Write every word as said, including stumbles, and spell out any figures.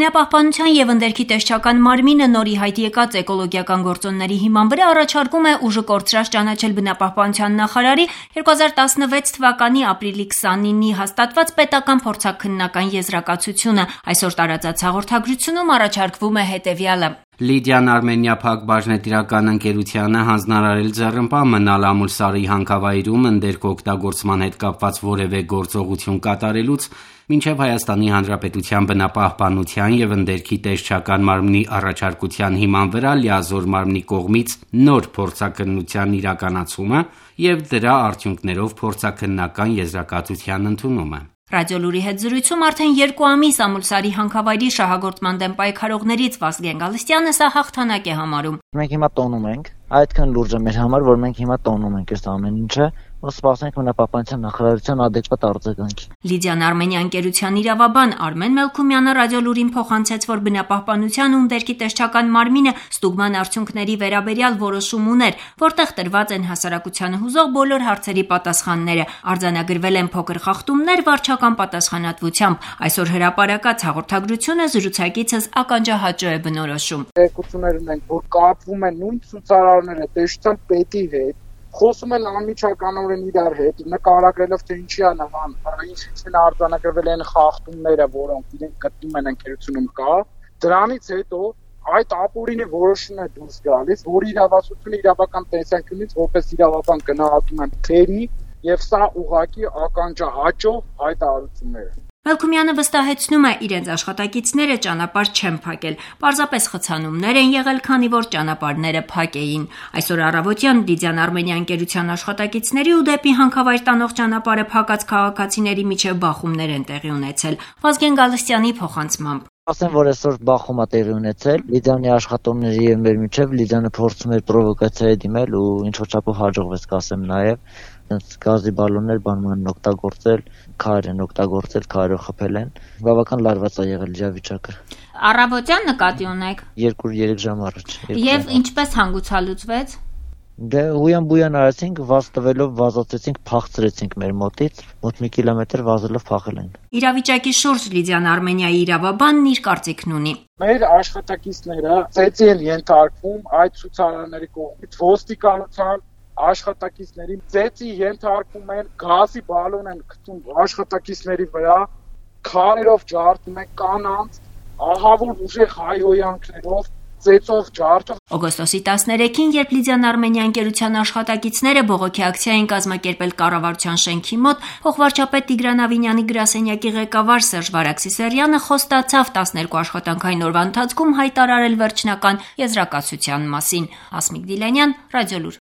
Բնապահպանության եւ ընդերքի տեսչական մարմինը նոր ի հայտ եկած էկոլոգիական գործոնների հիման վրա առաջարկում է ուժը կորցրած ճանաչել բնապահպանության նախարարի երկու հազար տասնվեց թվականի ապրիլի քսանինի հաստատված պետական փորձաքննական եզրակացությունը։ Այսօր տարածած հաղորդագրությունում առաջարկվում է հետևյալը. Լիդիան Արմենիա Փակ բաժնետիրական ընկերությանը հանձնարարել ձեռնպահ մնալ Ամուլսարի հանքավայրում ընդերք օգտագործման հետ կապված որևէ գործողություն կատարելուց մինչև Հայաստանի Հանրապետության բնապահպանության եւ ընդերքի տեսչական մարմնի առաջարկության հիման վրա լիազոր մարմնի կողմից նոր փորձաքննության իրականացումը եւ դրա արդյունքներով փորձաքննական եզրակացության ընդունումը։ Ռադիոլուրի հետ զրույցում արդեն երկու ամիս Ամուլսարի հանքավայրի շահագործման դեմ պայքարողներից Վազգեն Գալստյանը սա հաղթանակ է համարում։ Մենք հիմա տոնում ենք, այդքան լուրջ է մեր համար, որ մենք հիմա տոնում ենք այս ամեն ինչը, ու սպասենք բնապահպանության նախարարության adekvat արձագանքի։ Լիդիան Արմենիա ընկերության իրավաբան Արմեն Մելքումյանը Ռադիոլուրին փոխանցեց, որ բնապահպանության ու ընդերքի տեսչական մարմինը ստուգման արդյունքների վերաբերյալ որոշում ուներ, որտեղ տրված են հասարակությանը հուզող բոլոր հարցերի պատասխանները, արձանագրվել են փոքր խախտումներ վարչական պատասխանատվությամբ։ Այսօր հրապարակած հաղորդագրությունը զրուցակիցս ականջահաճո է բնորոշում։ Տեղեկություններ ունենք, որ կապվում են նույն ցուցարարները տեսչական պետի հետ, խոսում են անմիջականորեն իրար հետ, նկարագրելով թե ինչի է նման, ինչին արձանագրվել են խախտումները, որոնք իրենք գտնում են ընկերությունում կա, դրանից հետո այդ ապօրինի որոշումն է դուրս գալիս, որ իրավասությունը իրավական տեսանկյունից որպես իրավաբան գնահատում են թերի եւ սա ուղղակի ականջահաճո հայտարարություններ են։ Մելքումյանը վստահեցնում է, իրենց աշխատակիցները ճանապարհ չեն փակել, պարզապես խցանումներ են եղել, քանի որ ճանապարհները փակ էին։ Այսօր առավոտյան Լիդիան Արմենիա ընկերության աշխատակիցների ու դեպի հանքավայր տանող ճանապարհը փակած քաղաքացիների միջև բախումներ են տեղի ունեցել։ Վազգեն Գալստյանի փոխանցմամբ։ Ասեմ, որ այսօր բախում է տեղի ունեցել Լիդիանի աշխատողների եւ մեր միջև Լիդիանը փորձում էր պրովոկացիայի դիմել ու ինչ որ չափով հաջողվեց, կասեմ նաեւ գազի բալոններ բանման են օգտագործել, քար են օգտագործել, քարով խփել են։ Բավական լարված է եղել իրավիճակը։ Առավոտյան նկատի ունեք։ երկու-երեք ժամ առաջ։ Եվ ինչպես հանգուցալուծվեց։ Դե հույան-բույան արեցինք, վազ տվելով վազացեցինք, փախցրեցինք մեր մոտից, մոտ մի կիլոմետր վազելով փախել են։ Իրավիճակի շուրջ Լիդիան Արմենիայի իրավաբանն իր կարծիքն ունի։ Մեր աշխատակիցները ծեծի են ենթարկվում այդ ցուցարարների կողմից ոստիկանության աշխատակիցների ծեծի ենթարկում են, գազի բալոն են գցում աշխատակիցների վրա, քարերով ջարդում են կանանց, ահավոր ուժեղ հայհոյանքներով ծեծով ջարդով։ Օգոստոսի տասներեքին, երբ Լիդիան Արմենիա ընկերության աշխատակիցները բողոքի ակցիա էին կազմակերպել կառավարության շենքի մոտ, փոխվարչապետ Տիգրան Ավինյանի գրասենյակի ղեկավար Սերժ Վարագսիսարյանը խոստացավ տասներկու աշխատանքային օրվա ընթացքում հայտարարել վերջնական եզրակացության մասին։ Հասմիկ Դիլանյան, Ռադիոլուր։